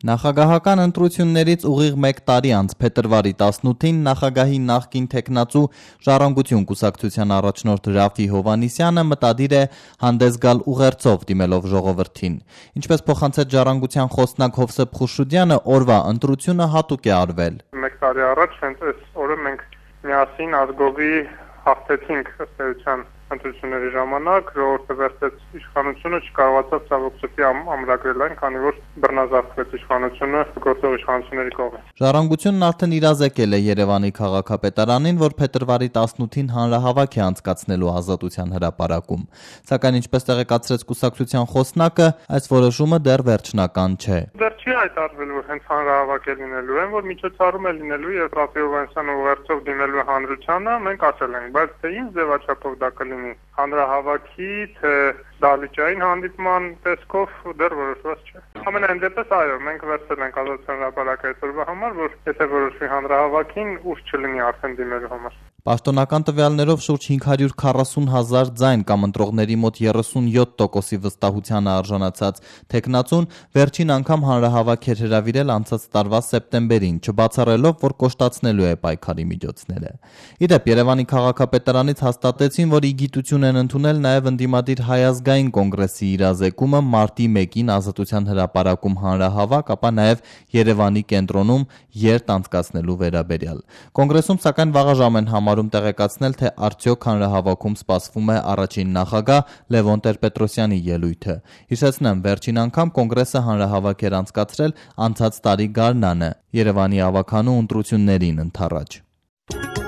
Նախագահական ընտրություններից ուղիղ 1 տարի անց փետրվարի 18-ին նախագահի նախկին թեկնածու Ժառանգություն կուսակցության առաջնորդ Ռաֆի Հովհաննիսյանը մտադիր է հանդես գալ ուղերձով դիմելով ժողովրդին։ Ինչպես փոխանցեց Ժառանգության խոսնակ Հովսեփ Խուշուդյանը, օրվա ընտրությունը հատուկ է արվել։ 1 տարի առաջ հենց այս օրը մենք միասին ազգովի հաղթեցինք ըստ էության ընտրությունների ժամանակ, ժողովուրդը վերցրեց իշխանությունը, չկարողացավ ցավոք սրտի ամրագրել այն, քանի որ բռնազավթվեց իշխանությունը գործող իշխանությունների կողմից։ Ժառանգությունն արդեն իրազեկել է Երևանի քաղաքապետարանին, որ փետրվարի 18-ին հանրահավաք է անցկացնելու Ազատության հրապարակում։ Սակայն ինչպես տեղեկացրեց կուսակցության խոսնակը, այս որոշումը դեռ վերջնական չէ։ Դեռ չի հայտարարվել, որ հենց հանրահավաք է լինելու, որ միջոցառում է լինելու եւ Ռաֆի Հովհաննիսյանը ուղերձով դիմելու է հանրությանը, մենք ասել ենք, բայց թե ինչ ձևաչափով դա կլինի, հանրահավաքի, թե դահլիճային հանդիպման տեսքով դեռ որոշված չէ։ Ամենայն դեպս այո, մենք վերցրել ենք Ազատության հրապարակի այս օրվա համար, որ եթե որոշվի հանրահավաքին, ուժ չլինի արդեն դիմելու համար։ Պաշտոնական տվյալներով շուրջ 540,000 ձայն կամ ընտրողների մոտ 37%-ի վստահությանը արժանացած թեկնածուն վերջին անգամ հանրահավաք էր հրավիրել անցած տարվա սեպտեմբերին, չբացառելով, որ կոշտացնելու է պայքարի միջոցները։ Իդեպ Երևանի քաղաքապետարանից հաստատեցին, որ ի գիտություն են ընդունել նաև ընդդիմադիր Հայ ազգային կոնգրեսի իրազեկումը մարտի 1-ին Ազատության հրապարակում հանրահավաք, ապա նաև Երևանի կենտրոնում երթ անցկացնելու վերաբերյալ։ Կոնգրեսում սակայն վաղաժամ են համարում տեղեկացնել, թե արդյոք հանրահավաքում սպասվում է առաջին նախագահ Լևոն Տեր-Պետրոսյանի ելույթը։ Հիշեցնեմ, վերջին անգամ կոնգրեսը հանրահավաք էր անցկացրել անցած տարի գարնանը Երևանի ավագանու ընտրություններին ընդառաջ։